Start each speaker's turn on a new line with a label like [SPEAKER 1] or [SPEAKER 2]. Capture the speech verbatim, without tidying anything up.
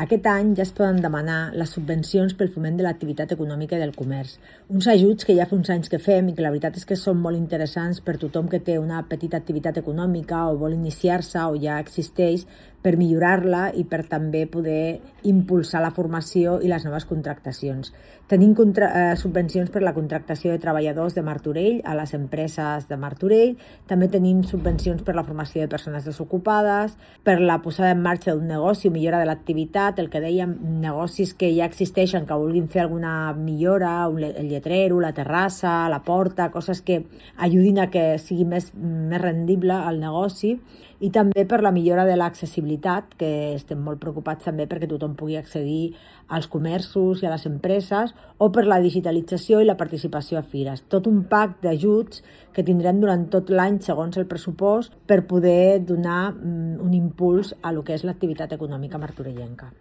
[SPEAKER 1] Aquest any ja es poden demanar les subvencions pel foment de l'activitat econòmica i del comerç. Uns ajuts que ja fa uns anys que fem i que la veritat és que són molt interessants per tothom que té una petita activitat econòmica o vol iniciar-se o ja existeix, per millorar-la i per també poder impulsar la formació i les noves contractacions. Tenim contra, eh, subvencions per la contractació de treballadors de Martorell a les empreses de Martorell, també tenim subvencions per la formació de persones desocupades, per la posada en marxa d'un negoci o millora de l'activitat, el que dèiem, negocis que ja existeixen, que vulguin fer alguna millora, el lletrero, la terrassa, la porta, coses que ajudin a que sigui més, més rendible el negoci, i també per la millora de l'accessibilitat, que estem molt preocupats també perquè tothom pugui accedir als comerços i a les empreses, o per la digitalització i la participació a fires. Tot un pack d'ajuts que tindrem durant tot l'any segons el pressupost per poder donar un impuls a lo que és l'activitat econòmica martorellenca.